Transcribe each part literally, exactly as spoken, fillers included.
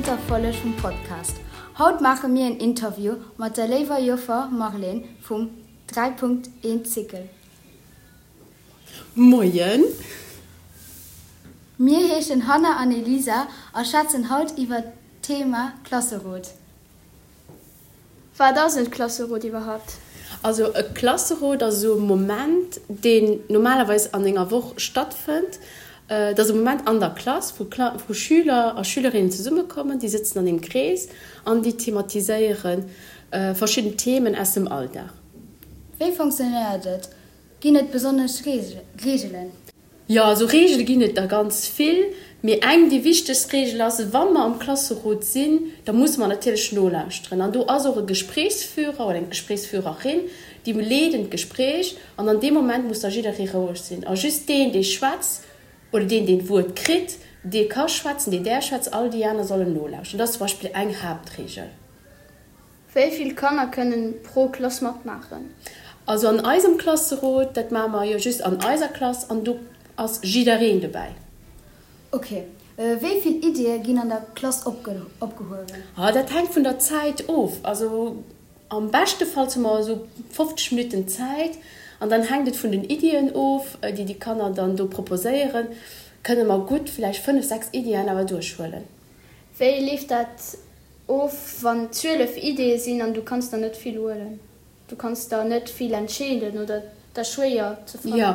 drëtter Folleg vum Podcast. Haut maache mir en Interview mat der léiwer Joffer Marlène vum dräi Punkt eent Cycle. Moien! Mir heeschen Hanna an Elisa a schwätzen haut iwwer d'Thema Klasserot. Wat ass e Klasserot iwwerhaapt? Also e Klasserot ass esou e Moment, deen normalerweis an enger Woch stattfënnt. Et ass e Moment an der Klass, wou wou Schüler a Schülerinnen zesummekommen, déi sëtzen an engem Krees an déi thematiséiere verschidden Themen aus dem Alldag. Wéi fonctionnéiert et? Ginn et besonnesch Reegelen? Jo, also Reegele ginn et der ganz vill. Mee eng, déi wichtegst Reegel ass, Wa mer am Klasserot sinn, da musse mer natierlech nolauschteren. An do ass och e Gesprächsführer oder eng Gesprächsführerin, déi leeden d'Gespräch. An an deem Moment muss da jidderee roueg sinn. A just deen, dee schwätzt oder deen, deen d'Wuert kritt, dee ka schwätzen, dee däerf schwätzen, all déi aner sollen nolauschteren. Dat ass zum Beispill eng Haaptreegel. Wéi vill Kanner kënnen pro Klass matmaachen? Also an eisem Klasserot, dat maache mer jo just an eiser Klass, an do ass jiddereen dobäi. Ok. Wéi vill Iddie ginn an der Klass opgehuewen? Ah, dat hänkt vun der Zäit of. Also am beschtefalls hu mer esou fofzeg Minutten Zäit an dann hänkt et vun den Iddien of, déi déi Kanner dann do proposéieren, kënne mer gutt vläicht fënnef, sechs Iddien awer duerchhuelen. Wéi leeft dat of, wann zwielef Iddie sinn an du kanns der net vill huelen? Du kanns der net vill entscheeden oder et ass schwéier ze fannen. Jo,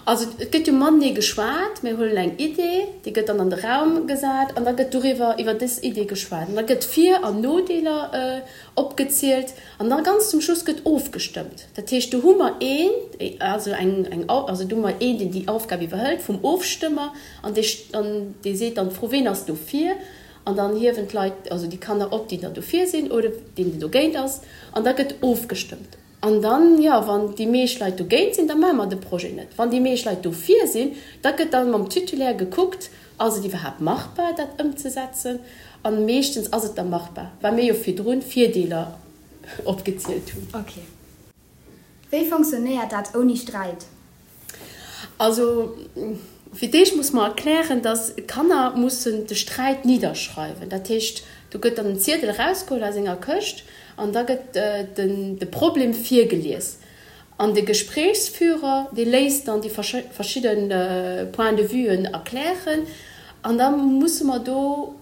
also et gëtt jo matenee geschwat. Mir huelen eng Idee, déi gëtt dann an de Raum gesat an da gëtt doriwwer, iwwer dës Idee geschwat. An da gëtt Vir an Nodeeler opgezielt an da ganz zum Schluss gëtt ofgestëmmt. Dat heescht, do hu mer een, also eng, eng, also do hu mer een, deen déi Aufgab iwwerhëlt vum Ofstëmmer an dee, an dee seet dann d'Fro, Ween ass dofir? An dann hiewen d'Leit, also déi Kanner op, déi dann dofir sinn oder deen, deen dogéint ass. An da gëtt ofgestëmmt. An dann, jo, wann déi meescht Leit dogéint sinn, da maache mer de Projet net. Wann déi meescht Leit dofir sinn, da gëtt dann mam Titulaire gekuckt, ass et iwwerhaapt machbar, dat ëmzesetzen. A meeschtens ass et da machbar, well mir jo virdrun d'Virdeeler opgezielt hunn. Ok. Wéi fonctionnéiert dat ouni Sträit? Also fir d'éischt muss mer erklären, dass d'Kanner mussen de Sträit nidderschreiwen. Dat heescht, do gëtt dann en Ziedel erausgeholl aus enger Këscht an da gëtt den de Problem virgelies. An de Gesprächsführer, dee léisst dann déi verschidde Points de vuen erklären an da musse mer do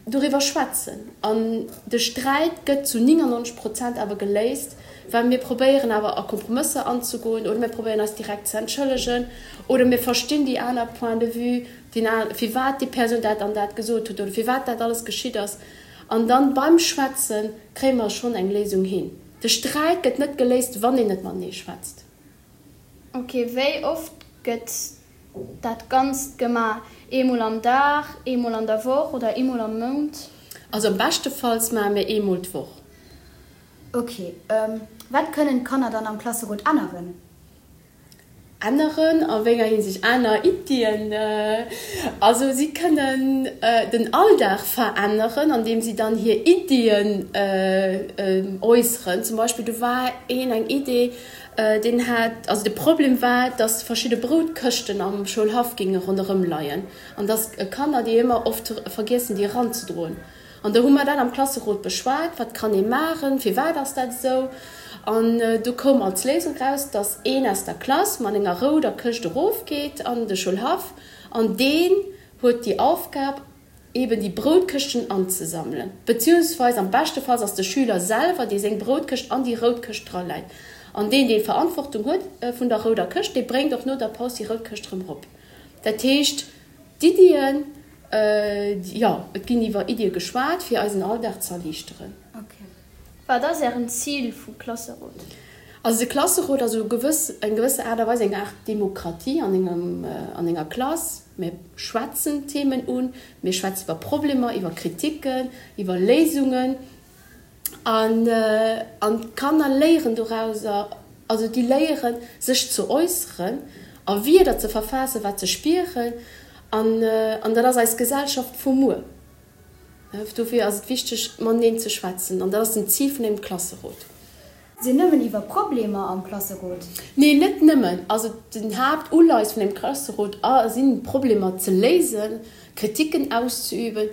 doriwwer schwätzen. An de Sträit gëtt zu néngannonzeg Prozent awer geléist, well mir probéieren awer a Kompromësser anzegoen oder mir probéieren eis direkt ze entschëllegen oder mir verstinn déi aner Point de vue, deen a firwat déi Persoun dat an dat gesot huet oder firwat dat alles geschitt ass. An dann beim Schwätze kréie mer schonn eng Léisung hin. De Sträit gëtt net geléist, wann een net matenee schwätzt. Ok, wéi oft gëtt dat Ganzt gemaach? Eemol am Dag, eemol an der Woch oder eemol am Mount? Also am beschtefalls maache mir eemol d'Woch. Ok, wat kënnen d'Kanner dann am Klasserot änneren? Änneren a wéi enger Hinsicht? Aner Iddien? Also si kënnen den Alldag veränneren, andeem si dann hir Iddien äusseren. Zum Beispill do war een eng Idee, Deen hat, also de Problem war, dass verschidde Broutkëschten am Schoulhaff géinge ronderëm leien an dass Kanner déi ëmmer oft vergiessen, déi eranzedroen. An do hu mer dat am Klasserot beschwat, wat kann ee maachen, firwat ass dat esou? An do koum als Léisung raus, dass een aus der Klass mat enger rouder Këscht erofgeet an de Schoulhaff an deen huet déi Aufgab, eben déi Broutkëschten anzesammelen, beziehungsweise am beschtefalls ass de Schüler selwer, dee seng Broutkëscht an déi rout Këscht draläit. An deen, dee Verantwortung huet vun der rouder Këscht, dee bréngt och no der Paus déi rout Këscht erëm erop. Dat heescht, d'Iddien, jo, et ginn iwwer Iddie geschwat, fir eisen Alldag ze erliichteren. Wat ass Ären Zil vum Klasserot? Also de Klasserot ass u gewëss, eng gewësse Aart a Weis eng Aart Demokratie an engem, an enger Klass. Mir schwätzen Themen un, mir schwätzen iwwer Problemer, iwwer Kritiken, iwwer Léisungen an, an d'Kanner léieren dorauser, also déi léieren sech ze äusseren a Wierder ze verfaassen, wat se spieren an, an dat ass eis Gesellschaft vu muer. Dofir ass et wichteg, mateneen ze schwätzen an dat ass den Zil vun engem Klasserot. Sinn nëmmen iwwer Problemer am Klasserot? Nee, net nëmmen. Also den Haaptuleis vun engem Klasserot sinn, Problemer ze léisen, Kritiken auszeüben.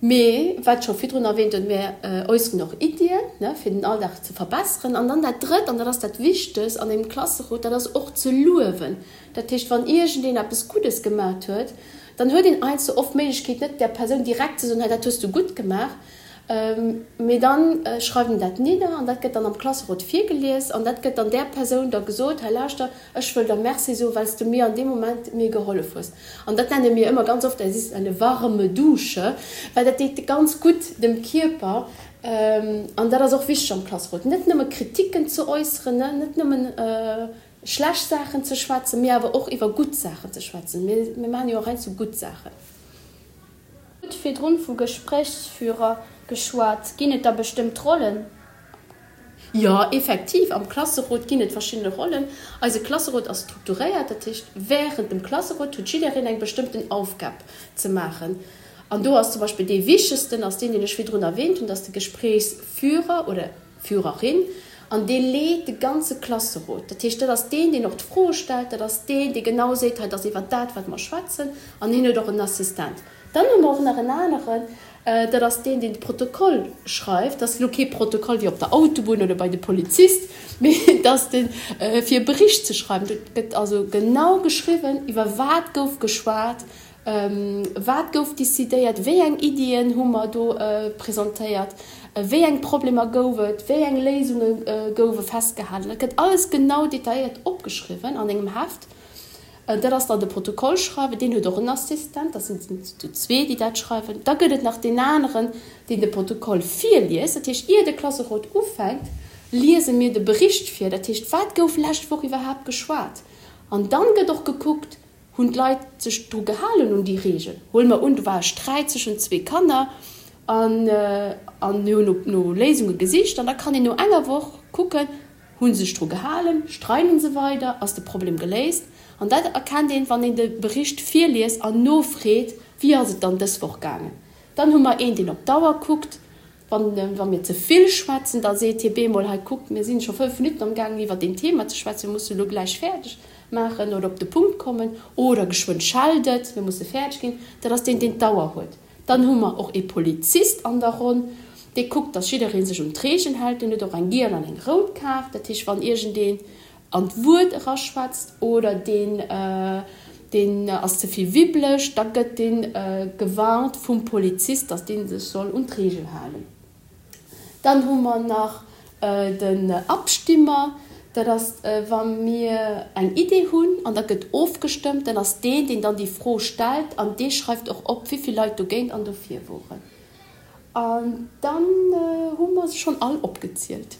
Mee, wat ech scho virdrun erwähnt hunn, mir äusseren och Iddien, ne, fir den Alldag ze verbesseren. An dann dat Drëtt, an dat ass dat Wichtegst an engem Klasserot, dat ass och ze luewen. Dat heescht, wann iergendeen eppes Guddes gemat huet, dann huet een heiansdo oft d'Méiglechkeet, net där Persoun direkt ze soen, Hei, dat hues du gutt gemaach. Mee dann schreift een dat nidder an dat gëtt dann am Klasserot virgelies an dat gëtt dann där Persoun da gesot, Hei lauschter, ech wëll der Merci soen, well s du mir an deem Moment mir gehollef hues. An dat nenne mir ëmmer ganz oft, Es ist eine warme Dusche, well dat deet ganz gutt dem Kierper. An dat ass och wichteg am Klasserot, net nëmme Kritiken ze äusseren, net nëmmen schlecht Saachen ze schwätzen, mee awer och iwwer gutt Saachen ze schwätzen. Mir maachen jo och heiansdo gutt Saachen. Hutt virdrun vu Gespréichsführer geschwat. Ginn et da bestëmmt Rollen? Jo, effektiv, am Klasserot ginn et verschidde Rollen. Eise Klasserot ass strukturéiert, dat heescht, wärend dem Klasserot huet jiddereen eng bestëmmten Aufgab ze maachen. An do ass zum Beispill dee wichtegsten ass deen, deen ech virdrun erwähnt hunn, dat ass de Gespréichsführer oder Führerin. An dee leet de ganze Klasserot. Dat heescht, dat ass deen, deen och d'Froe stellt, dat ass deen, dee genau seet, hei, dat ass iwwer dat, wat mer schwätzen. An hien huet och en Assistent. Dann hu mer och nach en aneren, dat ass deen, deen de Protokoll schreift. Dat ass elo kee Protokoll wéi op der Autobunn oder bei de Polizist, mee dat ass deen, fir e Bericht ze schreiwen. Do gëtt also genau geschriwwen, iwwer wat gouf geschwat, wat gouf decidéiert, wéi eng Iddien hu mer do presentéiert, wéi eng Problemer gouf et, wéi eng Léisunge goufe festgehalen. Dat gëtt alles genau detailléiert opgeschriwwen an engem Heft. Dat ass dann de Protokollschreiwer, deen huet och en Assistent, dat sinn zu zwee, déi dat schreiwen. Da gëtt et nach deen aneren, deen de Protokoll virliest. Dat heescht, ier de Klasserot ufänkt, liese mir de Bericht vir, dat heescht, wat gouf lescht Woch iwwerhaapt geschwat. An dann gëtt och gekuckt, Hunn d'Leit sech dru gehalen un déi Reegel? Huele mer un, do war e Sträit zwëschen zwee Kanner an an mir hunn no Léisunge gesicht an da kann een no enger Woch kucken, Hu se sech dru gehalen? Streiden se weider? Ass de Problem geléist? An dat erkennt een, wann een de Bericht virliest an nofreet, Wéi ass et dann dës Woch gaangen? Dann hu mer een, deen op d'Auer kuckt. Wann wa mir ze vill schwätzen, da seet hie bemol, Hei kuckt, mir sinn scho fënnf Minutten amgaangen iwwer deen Thema ze schwätzen, mir musse lo gläich fäerdeg maachen oder op de Punkt kommen oder geschwënn schellt et, mir musse fäerdeg ginn. Dat ass deen, deen d'Auer huet. Dann hu mer och ee Polizist an der Ronn, dee kuckt, dass jidderee sech un d'Reegelen hält. Deen huet och eng giel an eng rout Kaart. Dat heescht, wann iergendeen an d'Wuert eraschwätzt oder deen deen ass ze vill wibbeleg, da gëtt dee gewarnt vum Polizist, dass dee sech soll un d'Reegel halen. Dann hu mer nach den Abstimmer, dat ass wa mir eng Idee hunn an da gëtt ofgestëmmt, dann ass deen, deen dann déi Fro stellt an dee schreift och op, wéi vill Leit dogéint an dofir woren. An dann hu mer se schonn all opgezielt.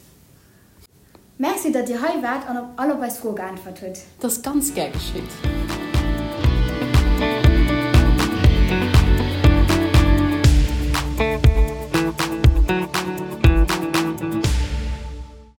Merci, datt Dir hei waart an op all op eis Froe geäntwert hutt. Dat ass ganz gär geschitt.